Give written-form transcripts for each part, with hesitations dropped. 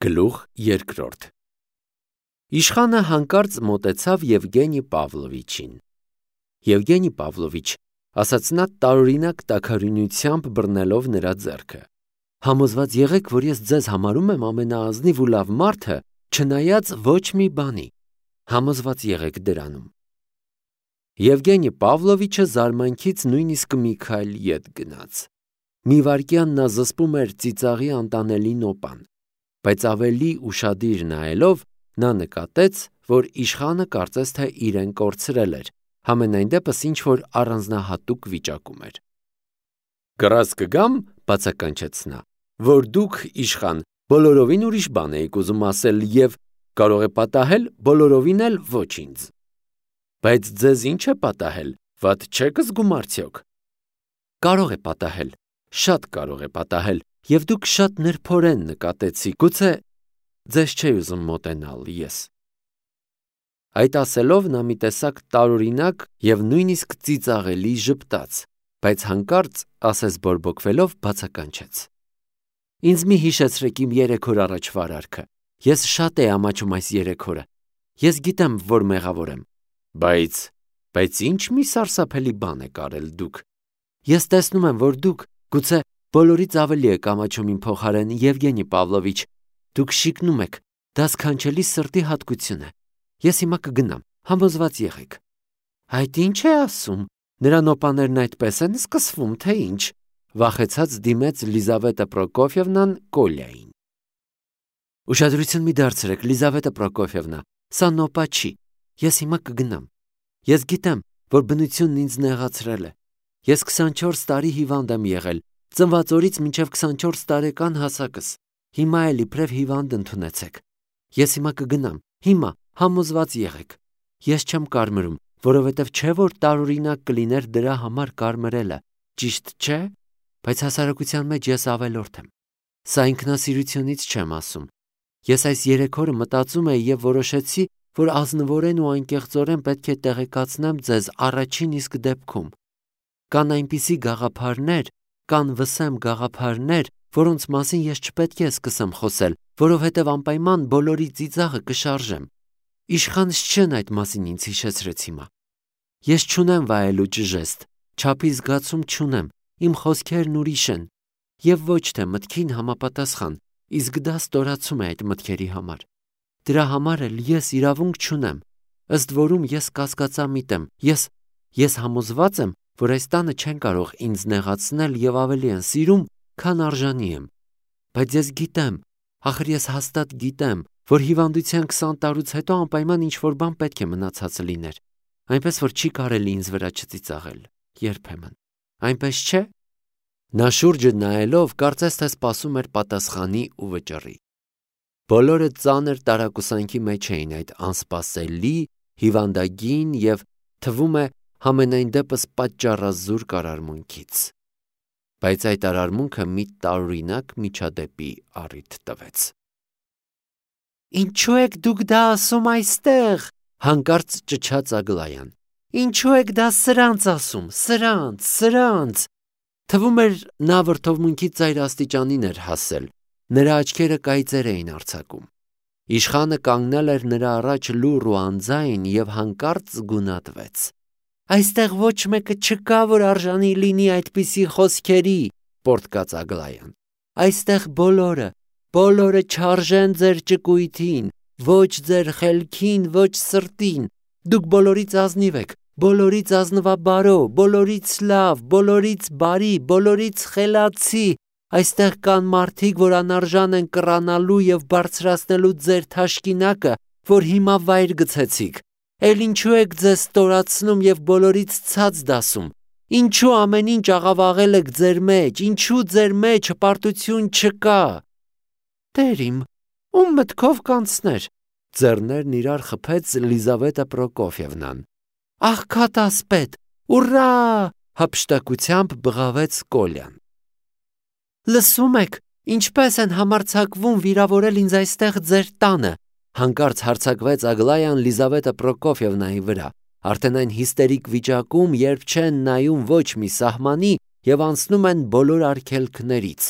Գլուխ երկրորդ Իշխանը հանկարծ մոտեցավ Եվգենի Պավլովիչին։ Եվգենի Պավլովիչ, ասաց նա տարօրինակ տաքարյունությամբ բռնելով նրա ձեռքը, համոզված եղեք, որ ես ձեզ համարում եմ ամենաազնիվ ու լավ մարդը, չնայած ոչ մի բանի, համոզված եղեք դրանում։ Եվգենի Պավլովիչը զարմանքից նույնիսկ մի քայլ ետ գնաց։ Մի վայրկյան նա զսպում էր ծիծաղի անտանելի նոպան, բայց ավելի ուշադիր նայելով նա նկատեց, որ իշխանը կարծես թե իրեն կորցրել էր, համենայն դեպս ինչ-որ առանձնահատուկ վիճակում էր։ «Կռած կգամ, բացականչեց նա, որ դուք, իշխան, բոլորովին ուրիշ բան էիք ուզում ասել և կարող է պատահել բոլորովին էլ ոչ ինձ։ Բայց ձեզ ինչ է պատահել, վատ չեք զգում արդյոք։ Կարող է պատահել, շատ կարող է պատահել, և դուք շատ նրբորեն նկատեցիք, գուցե ձեզ չէի ուզում մոտենալ ես»։ Այդ ասելով նա մի տեսակ տարօրինակ և նույնիսկ ծիծաղելի ժպտաց, բայց հանկարծ, ասես բորբոքվելով, բացականչեց. «Ինձ մի հիշեցրեք իմ 3 օր առաջվա արարքը, ես շատ էի ամաչում այս 3 օրը, ես գիտեմ, որ մեղավոր եմ, բայց ինչ մի սարսափելի բան եք արել դուք։ Ես տեսնում եմ, որ դուք, գուցե բոլորից ավելի եք ամաչում իմ փոխարեն, Եվգենի Պավլովիչ, դուք շիկնում եք, դա սքանչելի սրտի հատկություն է։ Ես հիմա կգնամ, համոզված եղեք»։ Այդ ինչ է ասում, նրա նոպաներն այդպես են սկսվում, թե ինչ, վախեցած դիմեց Լիզավետա Պրոկոֆիևնան Կոլյային։ Ուշադրություն մի դարձրեք, Լիզավետա Պրոկոֆիևնա, սա նոպա չի, ես հիմա կգնամ։ Ես գիտեմ, որ բնությունն ինձ նեղացրել է։ Ես 24 տարի հիվանդ եմ եղել, ծնված օրից մինչև 24 տարեկան հասակս։ Հիմա էլ իբրև հիվանդ ընդունեցեք։ Ես հիմա կգնամ, հիմա, համոզված եղեք։ Ես չեմ կարմրում, որովհետև չէ որ տարօրինակ կլիներ դրա համար կարմրելը, ճիշտ չէ, բայց հասարակության մեջ ես ավելորդ եմ։ Սա ինքնասիրությունից չեմ ասում։ Ես այս 3 օրը մտածում էի և որոշեցի, որ ազնվորեն ու անկեղծորեն պետք է տեղեկացնեմ ձեզ առաջին իսկ դեպքում։ Կան այնպիսի գաղափարներ, կան վսեմ գաղափարներ, որոնց մասին ես չպետք է սկսեմ խոսել, որովհետև անպայման բոլորի ծիծաղը կշարժեմ։ Իշխանս չեն այդ մասին ինձ հիշեցրեց հիմա։ Ես չունեմ վայելու ճժեստ, չափի զգացում չունեմ, իմ խոսքերն ուրիշ են, և ոչ թե մտքին համապատասխան, իսկ դա ստորացում է այդ մտքերի համար։ Դրա համար էլ ես իրավունք չունեմ, ըստ որում ես կասկածամիտ եմ, ես համոզված եմ, որ այս տանը չեն կարող ինձ նեղացնել և ավելի են սիրում, քան արժանի եմ։ Բայց ես գիտեմ, ախր ես հաստատ գիտեմ, որ հիվանդության 20 տարուց հետո անպայման ինչ-որ բան պետք է մնացած լիներ, այնպես որ չի կարելի ինձ վրա չծիծաղել, երբեմն, այնպես չէ։ Նա շուրջը նայելով կարծես թե սպասում էր պատասխանի ու վճռի։ Բոլորը ծանր տարակուսանքի մեջ էին այդ անսպասելի, հիվանդագին և թվում է համենայն դեպս պատճառազուրկ արարմունքից։ Բայց այդ արարմունքը մի տարօրինակ միջադեպի առիթ տվեց։ «Ինչու եք դուք դա ասում այստեղ», հանկարծ ճչաց Ագլայան։ «Ինչու եք դա սրանց ասում, սրանց»։ Թվում էր նա վրդովմունքի ծայր աստիճանին էր հասել, նրա աչքերը կայծեր էին արձակում։ Իշխանը կանգնել էր նրա առաջ լուռ ու անձայն և հանկարծ գունատվեց։ «Այստեղ ոչ մեկը չկա, որ արժանի լինի այդպիսի խոսքերի», պոռթկաց Ագլայան։ «Այստեղ բոլորը չարժեն ձեր ճկույթին, ոչ ձեր խելքին, ոչ սրտին, դուք բոլորից ազնիվ եք, բոլորից ազնվաբարո, բոլորից լավ, բոլորից բարի, բոլորից խելացի, այստեղ կան մարդիկ, որ անարժան են կռանալու և բարձրացնելու ձեր թաշկինակը, որ հիմա վայր գցեցիք, էլ ինչու եք ձեզ ստորացնում և բոլորից ցած դասում, ինչու ամեն ինչ աղավաղել եք ձեր մեջ, ինչու ձեր մեջ հպարտություն չկա։ Տեր իմ, ում մտքով կանցներ, ձեռներն իրար խփեց Լիզավետա Պրոկոֆիևնան։ Աղքատ ասպետ, ուռա, հափշտակությամբ բղավեց Կոլյան։ Լսում եք, ինչպես են համարձակվում վիրավորել ինձ այստեղ ձեր տանը, հանկարծ հարձակվեց Ագլայան Լիզավետա Պրոկոֆիևնայի վրա, արդեն այն հիստերիկ վիճակում, երբ չեն նայում ոչ մի սահմանի և անցնում են բոլոր արգելքներից։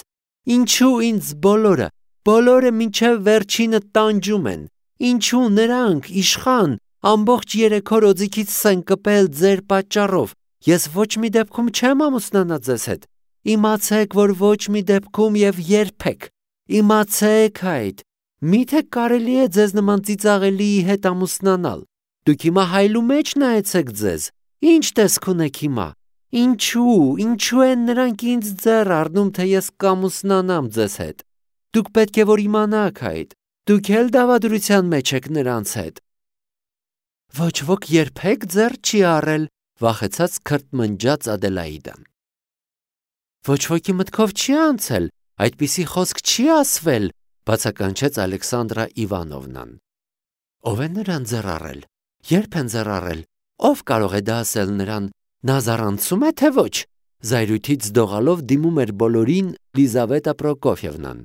Ինչու ինձ բոլորը, Բոլորը մինչև վերջինը տանջում են։ Ինչու նրանք, իշխան, ամբողջ 3 օր օձիքից են կպել ձեր պատճառով։ Ես ոչ մի դեպքում չեմ ամուսնանա ձեզ հետ։ Իմացեք, որ ոչ մի դեպքում եւ երբեք։ Իմացեք այդ։ Միթե կարելի է ձեզ նման ծիծաղելիի հետ ամուսնանալ։ Դուք հիմա հայլու մեջ նայեցեք ձեզ։ Ինչ տեսք ունեք հիմա։ Ինչու են նրանք ինձ ձեռ առնում, թե ես կամուսնանամ ձեզ հետ։ Դուք պետք է որ իմանաք այդ։ Դուք էլ դավադրության մեջ եք նրանց հետ։ Ոչ ոք երբեք ձեռ չի առել, վախեցած քրտմնջաց Ադելաիդան։ Ոչ ոքի մտքով չի անցել, այդպիսի խոսք չի ասվել, բացականչեց Ալեքսանդրա Իվանովնան։ Ով է նրան ձեռ առել։ Երբ են ձեռ առել։ Ով կարող է դա ասել նրան։ Նա զարանցում է, թե ոչ։ Զայրույթից դողալով դիմում էր բոլորին Լիզավետա Պրոկոֆիևնան։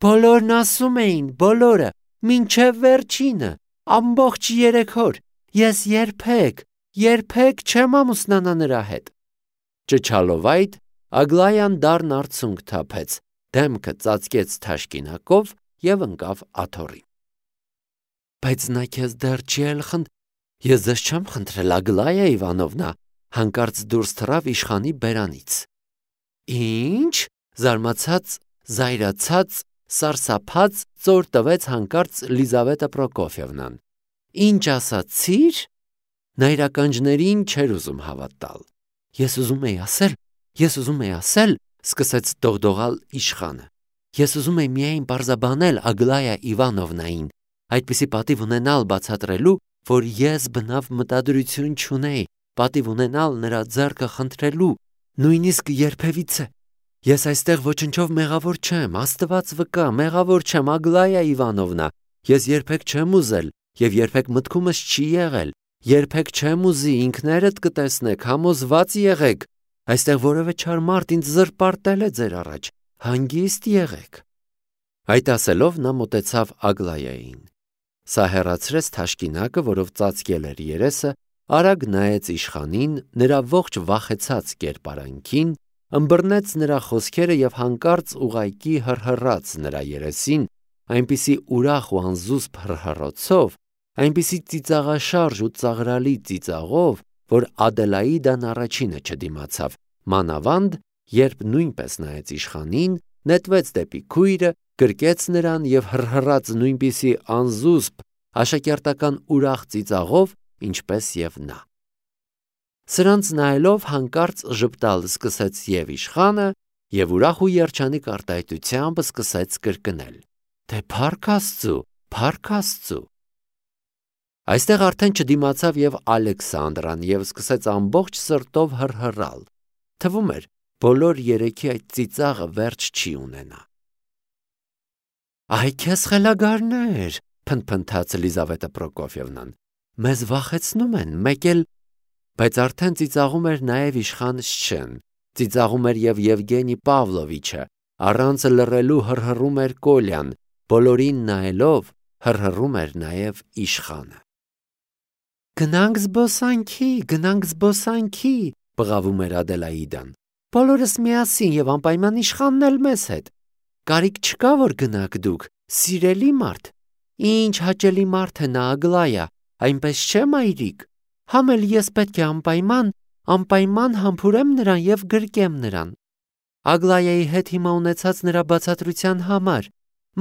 Բոլորն ասում էին, բոլորը, մինչև վերջինը, ամբողջ 3 օր, ես երբեք չեմ ամուսնանա նրա հետ։ Ճչալով այդ, Ագլայան դառն արցունք թափեց, դեմքը ծածկեց թաշկինակով և ընկավ աթոռին։ Բայց նա քեզ դեռ չի էլ Ես ձեզ չեմ խնդրել, Ագլայա Իվանովնա, հանկարծ դուրս թռավ իշխանի բերանից։ Ինչ, զարմացած, զայրացած, սարսափած ծոր տվեց հանկարծ Լիզավետա Պրոկոֆիևնան։ Ինչ ասացիր։ Նա իր ականջներին չէր ուզում հավատալ։ Ես ուզում էի ասել, սկսեց դողդողալ իշխանը։ Ես ուզում էի միայն պարզաբանել Ագլայա Իվանովնային, այդպիսի պատիվ ունենալ բացատրելու, որ ես բնավ մտադրություն չունեի, պատիվ ունենալ նրա ձեռքը խնդրելու, նույնիսկ երբևիցե։ Ես այստեղ ոչնչով մեղավոր չեմ, Աստված վկա, մեղավոր չեմ, Ագլայա Իվանովնա, ես երբեք չեմ ուզել և երբեք մտքումս չի եղել, երբեք չեմ ուզի, ինքներդ կտեսնեք, համոզված եղեք, այստեղ որևէ չար մարդ ինձ զրպարտել է ձեր առաջ, հանգիստ եղեք։ Այդ ասելով նա մոտեցավ Ագլայային։ Սա հեռացրեց թաշկինակը, որով ծածկել էր երեսը, արագ նայեց իշխանին, նրա ողջ վախեցած կերպարանքին, ըմբռնեց նրա խոսքերը և հանկարծ ուղղակի հռհռաց նրա երեսին, այնպիսի ուրախ ու անզուսպ հռհռոցով, այնպիսի ծիծաղաշարժ ու ծաղրալի ծիծաղով, որ Ադելաիդան առաջինը չդիմացավ, մանավանդ, երբ նույնպես նայեց իշխանին, նետվեց դեպի քույրը, գրկեց նրան և հռհռաց նույնպիսի անզուսպ, աշակերտական ուրախ ծիծաղով, ինչպես և նա։ Սրանց նայելով հանկարծ ժպտալ սկսեց և իշխանը, և ուրախ ու երջանիկ արտահայտությամբ սկսեց կրկնել. Թե փառք Աստծու։ Այստեղ արդեն չդիմացավ և Ալեքսանդրան և սկսեց ամբողջ սրտով հռհռալ։ Թվում էր, բոլոր երեքի այդ ծիծաղը վերջ չի ունենա։ Այ քեզ խելագարներ, փնթփնթաց Լիզավետա Պրոկոֆիևնան, մեզ վախեցնում են, մեկ էլ, բայց արդեն ծիծաղում էր նաև իշխան Շչեն, ծիծաղում էր և Եվգենի Պավլովիչը, առանց լռելու հռհռում էր Կոլյան, բոլորին նայելով հռհռում էր նաև իշխանը։ Գնանք զբոսանքի, բղավում էր Ադելաիդան, բոլորս միասին և անպայման իշխանն էլ մեզ հետ։ Կարիք չկա, որ գնաք դուք, սիրելի մարդ։ Ինչ հաճելի մարդ է նա Ագլայա, այնպես չէ մայրիկ։ Համ էլ ես պետք է անպայման համբուրեմ նրան և գրկեմ նրան։ Ագլայայի հետ հիմա ունեցած նրա բացատրության համար։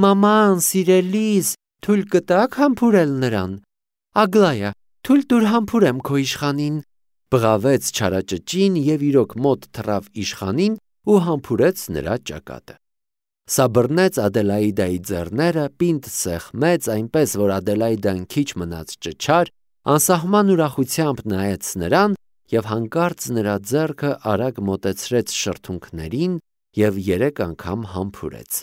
Մաման, սիրելիս, թույլ կտաք համբուրել նրան։ Ագլայա, թույլ տուր համբուրեմ քո իշխանին, բղավեց չարաճճին և իրոք մոտ թռավ իշխանին ու համբուրեց նրա ճակատը։ Սա բռնեց Ադելաիդայի ձեռները, պինդ սեղմեց, այնպես որ Ադելաիդան քիչ մնաց ճչար, անսահման ուրախությամբ նայեց նրան և հանկարծ նրա ձեռքը արագ մոտեցրեց շրթունքներին և 3 անգամ համբուրեց։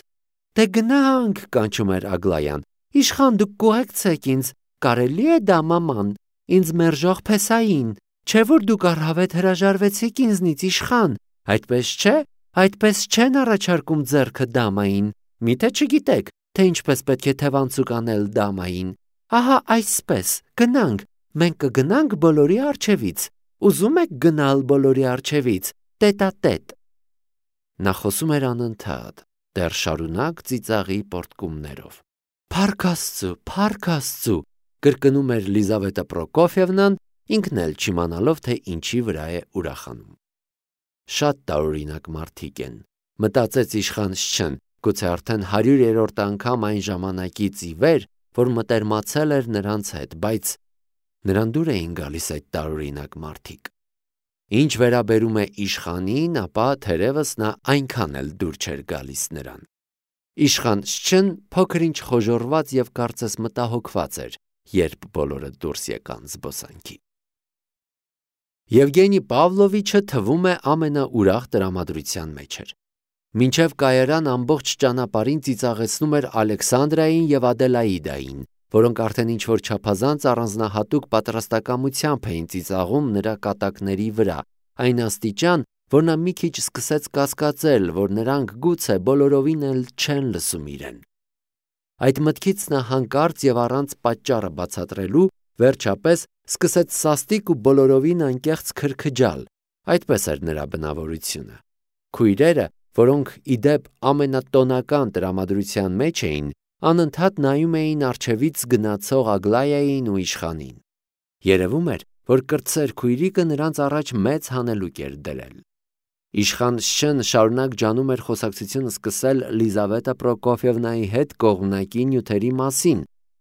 Դե գնանք, կանչում էր Ագլայան, իշխան դուք կուղեկցեք ինձ, կարելի է դա մաման, ինձ մերժող փեսային, չէ որ դուք առհավետ հրաժարվեցիք ինձնից իշխան, այդպես չեն առաջարկում ձեռքը դամային, միթե չգիտեք, թե ինչպես պետք է թևանցուկ անել դամային, ահա այսպես, գնանք, մենք կգնանք բոլորի առջևից, ուզում եք գնալ բոլորի առջևից, տետատետ։ Նա խոսում էր անընդհատ, դեռ շարունակ ծիծաղի պոռթկումներով։ «Փառք Աստծու, փառք Աստծու», կրկնում էր Լիզավետա Պրոկոֆիևնան, ինքն էլ չիմանալով, թե ինչի վրա է ուրախանում։ Շատ տարօրինակ մարդիկ են, մտածեց իշխան Շչեն, գուցե արդեն 100-րդ անգամ այն ժամանակից ի վեր, որ մտերմացել էր նրանց հետ, բայց նրան դուր էին գալիս այդ տարօրինակ մարդիկ։ Ինչ վերաբերում է իշխանին, ապա թերևս նա այնքան էլ դուր չէր գալիս նրան։ Իշխան Շչեն փոքր-ինչ խոժոռված և կարծես մտահոգված էր, երբ բոլորը դուրս եկան զբոսանքի։ Եվգենի Պավլովիչը թվում է ամենաուրախ տրամադրության մեջ էր։ Մինչև կայարան ամբողջ ճանապարհին ծիծաղեցնում էր Ալեքսանդրային և Ադելաիդային, որոնք արդեն ինչ-որ չափազանց առանձնահատուկ պատրաստակամությամբ էին ծիծաղում նրա կատակների վրա, այն աստիճան, որ նա մի քիչ սկսեց կասկածել, որ նրանք գուցե բոլորովին էլ չեն լսում իրեն։ Այդ մտքից նա հանկարծ և առանց պատճառը բացատրելու, վերջապես սկսեց սաստիկ ու բոլորովին անկեղծ քրքջալ, այդպես էր նրա բնավորությունը։ Քույրերը, որոնք ի դեպ ամենատոնական տրամադրության մեջ էին, անընդհատ նայում էին առջևից գնացող Ագլայային ու իշխանին։ Երևում էր, որ կրտսեր քույրիկը նրանց առաջ մեծ հանելուկ էր դրել։ Իշխան Շչեն շարունակ ջանում էր խոսակցությունը սկսել Լիզավետա Պրոկոֆիևնայի հետ կողմնակի նյութերի մասին,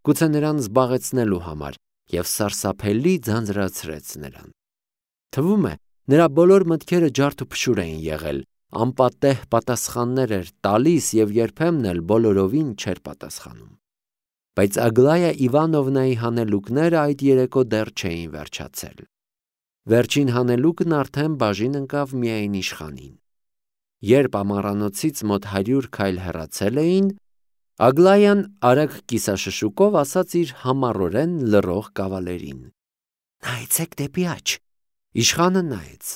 գուցե նրան զբաղեցնելու համար, և սարսափելի ձանձրացրեց նրան։ Թվում է, նրա բոլոր մտքերը ջարդուփշուր էին եղել, անպատեհ պատասխաններ էր տալիս և երբեմն էլ բոլորովին չէր պատասխանում։ Բայց Ագլայա Իվանովնայի հանելուկները այդ երեկո դեռ չէին վերջացել։ Վերջին հանելուկն արդեն բաժին ընկավ միայն իշխանին։ Երբ ամառանոցից մոտ 100 քայլ հեռացել էին, Ագլայան արագ կիսաշշուկով ասաց իր համառորեն լռող կավալերին. «Նայեցեք դեպի աջ»։ Իշխանը նայեց.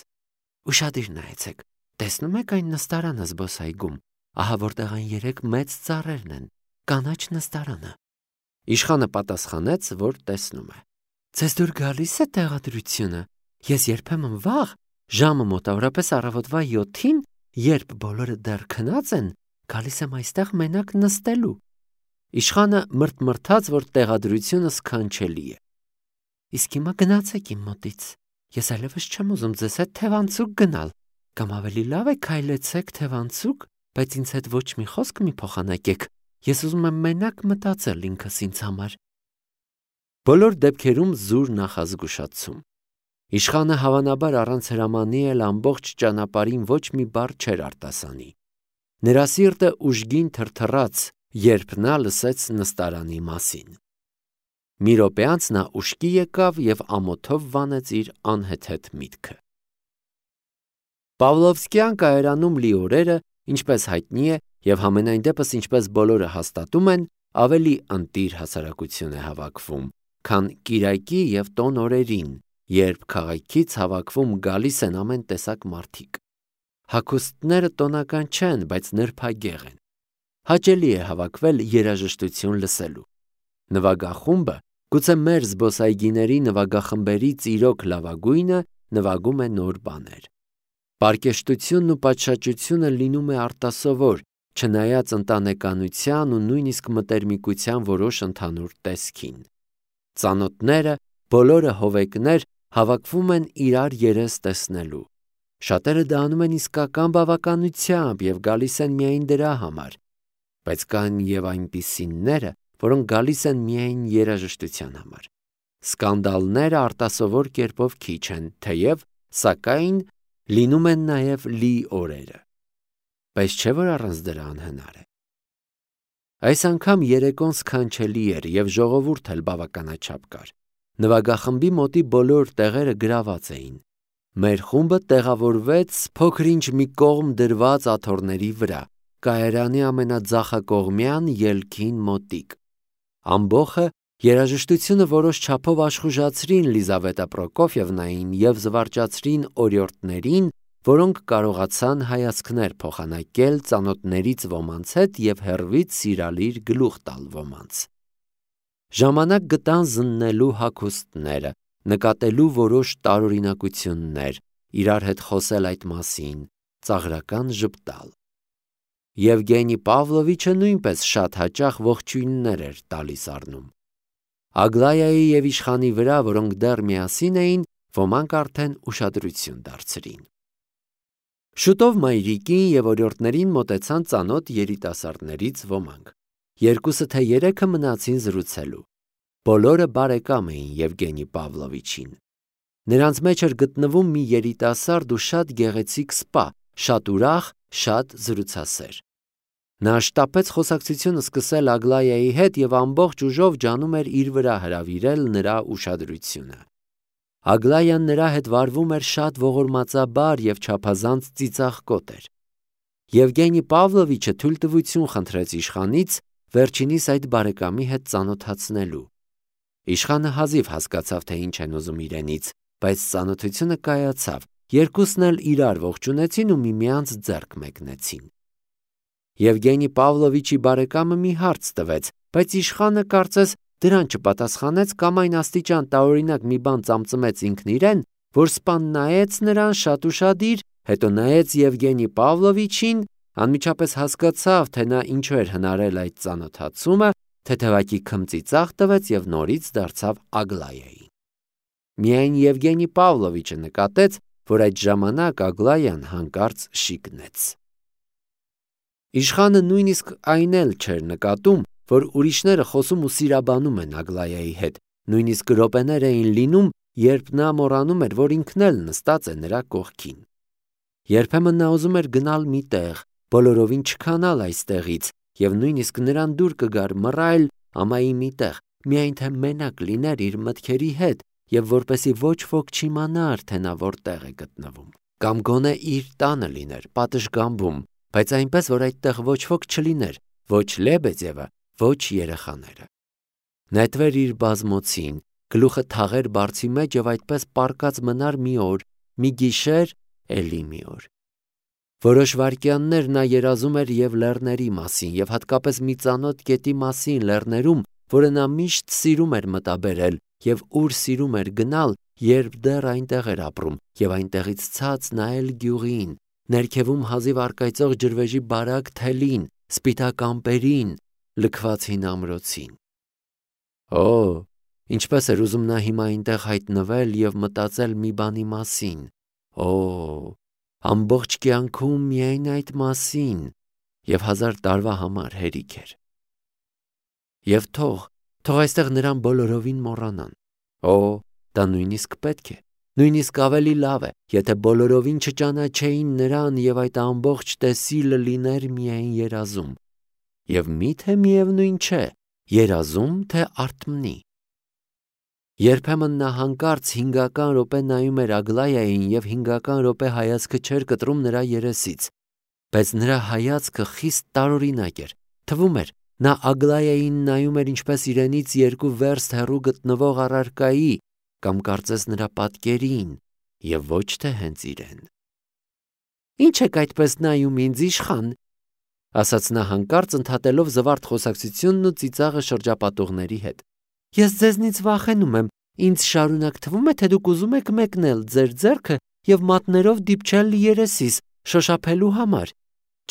«Ուշադիր նայեցեք, տեսնում եք այն նստարանը զբոսայգում, ահա որտեղ այն 3 մեծ ծառերն են, կանաչ նստարանը»։ Իշխանը պատասխանեց, որ տեսնում է։ «Ձեզ դուր գալի՞ս է տեղադրությունը։ Ես երբեմն վաղ, ժամը մոտավորապես առավոտվա 7-ին, երբ բոլորը դեռ քնած են, գալիս եմ այստեղ մենակ նստելու»։ Իշխանը մրթմրթաց, որ տեղադրությունը սքանչելի է։ «Իսկ հիմա գնացեք իմ մոտից, ես այլևս չեմ ուզում ձեզ հետ թևանցուկ գնալ, կամ ավելի լավ է քայլեցեք թևանցուկ, բայց ինձ հետ ոչ մի խոսք մի փոխանակեք, ես ուզում եմ մենակ մտածել ինքս ինձ համար»։ Բոլոր դեպքերում զուր նախազգուշացում։ Իշխանը հավանաբար առանց հրամանի էլ ամբողջ ճանապարհին ոչ մի բառ չէր արտասանի։ Նրա սիրտը ուժգին թրթռաց, երբ նա լսեց նստարանի մասին։ Մի րոպե անց նա ուշքի եկավ և ամոթով վանեց իր անհեթեթ միտքը։ Պավլովսկյան կայարանում լի օրերը, ինչպես հայտնի է, և համենայն դեպս ինչպես բոլորը հաստատում են, ավելի ընտիր հասարակություն է հավաքվում, քան կիրակի և տոն օրերին, երբ քաղաքից հավաքվում գալիս են ամեն տեսակ մարդիկ։ Հագուստները տոնական չեն, բայց նրբագեղ են։ Հաճելի է հավաքվել երաժշտություն լսելու։ Նվագախումբը, գուցե մեր զբոսայգիների նվագախմբերից իրոք լավագույնը, նվագում է նոր բաներ։ Պարկեշտությունն ու պատշաճությունը լինում է արտասովոր, չնայած ընտանեկանության ու նույնիսկ մտերմիկության որոշ ընդհանուր տեսքին։ Ծանոթները, բոլորը հովեկներ, հավաքվում են իրար երես տեսնելու։ Շատերը դա անում են իսկական բավականությամբ և գալիս են միայն դրա համար, բայց կան և այնպիսիները, որոնք գալիս են միայն երաժշտության համար։ Սկանդալները արտասովոր կերպով քիչ են, թեև, սակայն, լինում են նաև լի օրերը։ Բայց չէ՞ որ առանց դրա անհնար է։ Այս անգամ երեկոն սքանչելի էր և ժողովուրդ էլ բավականաչափ կար։ Նվագախմբի մոտի բոլոր տեղերը գրաված էին։ Մեր խումբը տեղավորվեց փոքր-ինչ մի կողմ դրված աթոռների վրա, կայարանի ամենաձախակողմյան ելքին մոտիկ։ Ամբոխը երաժշտությունը որոշ չափով աշխուժացրին Լիզավետա Պրոկոֆիևնային և զվարճացրին օրիորդներին, որոնք կարողացան հայացքներ փոխանակել ծանոթներից ոմանց հետ և հեռվից սիրալիր գլուխ տալ ոմանց։ Ժամանակ գտան զննելու հագուստները, նկատելու որոշ տարօրինակություններ, իրար հետ խոսել այդ մասին, ծաղրական ժպտալ։ Եվգենի Պավլովիչը նույնպես շատ հաճախ ողջույններ էր տալիս առնում։ Ագլայայի և իշխանի վրա, որոնք դեռ միասին էին, ոմանք արդեն ուշադրություն դարձրին։ Շուտով մայրիկին և օրիորդներին մոտեցան ծանոթ երիտասարդներից ոմանք։ Երկուսը թե երեքը մնացին զրուցելու։ Բոլորը բարեկամ էին Եվգենի Պավլովիչին։ Նրանց մեջ էր գտնվում մի երիտասարդ ու շատ գեղեցիկ սպա, շատ ուրախ, շատ զրուցասեր։ Նա շտապեց խոսակցությունը սկսել Ագլայայի հետ և ամբողջ ուժով ջանում էր իր վրա հրավիրել նրա ուշադրությունը։ Ագլայան նրա հետ վարվում էր շատ ողորմածաբար և չափազանց ծիծաղկոտ էր։ Եվգենի Պավլովիչը թույլտվություն խնդրեց իշխանից վերջինիս այդ բարեկամի հետ ծանոթացնելու։ Իշխանը հազիվ հասկացավ, թե ինչ են ուզում իրենից, բայց ծանոթությունը կայացավ, երկուսն էլ իրար ողջունեցին ու միմյանց ձեռք մեկնեցին։ Եվգենի Պավլովիչի բարեկամը մի հարց տվեց, բայց իշխանը կարծես դրան չպատասխանեց կամ այն աստիճան տարօրինակ մի բան ծամծմեց ինքն իրեն, որ սպան նայեց նրան շատ ուշադիր, հետո նայեց Եվգենի Պավլովիչին, անմիջապես հասկացավ, թե նա ինչու էր հնարել այդ ծանոթացումը, թեթևակի քմծիծաղ տվեց և նորից դարձավ Ագլայայի։ Միայն Եվգենի Պավլովիչը նկատեց, որ այդ ժամանակ Ագլայան հանկարծ շիկնեց։ Իշխանը նույնիսկ այն էլ չէր նկատում, որ ուրիշները խոսում ու սիրաբանում են Ագլայայի հետ, նույնիսկ րոպեներ էին լինում, երբ նա մոռանում էր, որ ինքն էլ նստած է նրա կողքին։ Երբեմն նա ուզում էր գնալ մի տեղ, բոլորովին չքանալ այստեղից, և նույնիսկ նրան դուր կգար մռայլ ամայի մի տեղ, միայն թե մենակ լիներ իր մտքերի հետ և որպեսզի ոչ ոք չիմանար, թե նա որտեղ է գտնվում։ Կամ գոնե իր տանը լիներ, պատշգամբում, բայց այնպես, որ այդտեղ ոչ ոք չլիներ, ոչ Լեբեդևը, ոչ երեխաները։ Նետվեր իր բազմոցին, գլուխը թաղեր բարձի մեջ և այդպես պառկած մնար մի օր, մի գիշեր, էլի մի օր։ Որոշ վայրկյաններ նա երազում էր և լեռների մասին, և հատկապես մի ծանոթ գետի մասին լեռներում, որը նա միշտ սիրում էր մտաբերել և ուր սիրում էր գնալ, երբ դեռ այնտեղ էր ապրում, և այնտեղից ցած նայել գյուղին, ներքևում հազիվ առկայծող ջրվեժի բարակ թելին, սպիտակ ամպերին, լքված հին ամրոցին։ Օ, ինչպես էր ուզում նա հիմա այնտեղ հայտնվել և մտածել մի բանի մասին։ Օ, ամբողջ կյանքում միայն այդ մասին, և 1000 տարվա համար հերիք էր։ Եվ թող այստեղ նրան բոլորովին մոռանան։ Օ, դա նույնիսկ պետք է, նույնիսկ ավելի լավ է, եթե բոլորովին չճանաչեին նրան և այդ ամբողջ տեսիլը լիներ միայն երազում։ Եվ մի՞թե միևնույն չէ, երազում, թե արթմնի։ Երբեմն նա հանկարծ 5 րոպե նայում էր Ագլայային և 5 րոպե հայացքը չէր կտրում նրա երեսից, բայց նրա հայացքը խիստ տարօրինակ էր, թվում էր, նա Ագլայային նայում էր ինչպես իրենից 2 վերստ հեռու գտնվող առարկայի կամ կարծես նրա պատկերին և ոչ թե հենց իրեն։ «Ինչ եք այդպես նայում ինձ, իշխան», ասաց նա հանկարծ ընդհատելով զվարթ խոսակցությունն ու ծիծաղը շրջապատողների հետ։ «Ես ձեզնից վախենում եմ, ինձ շարունակ թվում է, թե դուք ուզում եք մեկնել ձեր ձեռքը և մատներով դիպչել երեսիս, շոշափելու համար։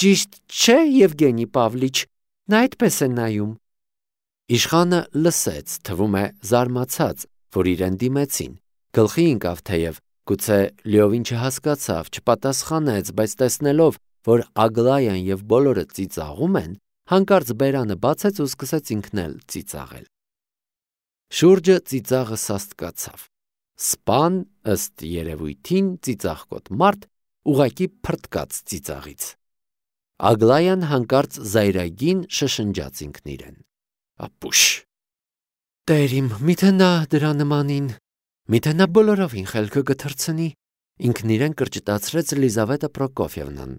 Ճիշտ չէ, Եվգենի Պավլիչ, նա այդպես է նայում»։ Իշխանը լսեց, թվում է զարմացած, որ իրեն դիմեցին, գլխի ընկավ թեև, գուցե լիովին չհասկացավ, չպատասխանեց, բայց տեսնելով, որ Ագլայան և բոլորը ծիծաղում են, հանկարծ բերանը բացեց ու սկսեց ինքն էլ ծիծաղել։ Շուրջը ծիծաղը սաստկացավ։ Սպան, ըստ երևույթին, ծիծաղկոտ մարդ, ուղղակի փռթկաց ծիծաղից։ Ագլայան հանկարծ զայրագին շշնջաց ինքն իրեն. «Ապուշ, Տեր իմ, միթե նա դրա նմանին, միթե նա բոլորովին խելքը կթռցնի», ինքն իրեն կրճտացրեց Լիզավետա Պրոկոֆիևնան։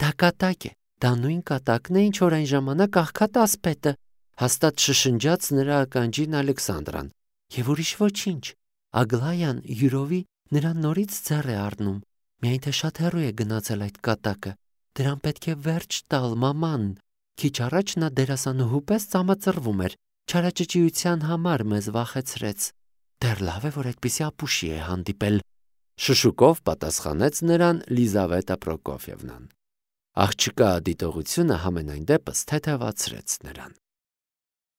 «Դա կատակ է, դա նույն կատակն է, ինչ որ այն ժամանակ աղքատասպետը», հաստատ շշնջաց նրա ականջին Ալեքսանդրան։ «Եվ ուրիշ ոչինչ, Ագլայան յուրովի նրան նորից ձեռ է առնում, միայն թե շատ հեռու է գնացել այդ կատակը, դրան պետք է վերջ տալ, մաման։ Քիչ առաջ նա դերասանուհու պես ծամածռվում էր, չարաճճիության համար մեզ վախեցրեց։ Դեռ լավ է, որ այդպիսի ապուշի է հանդիպել», շշուկով պատասխանեց նրան Լիզավետա Պրոկոֆիևնան։ Աղջկա դիտողությունը համենայն դեպս թեթևացրեց նրան։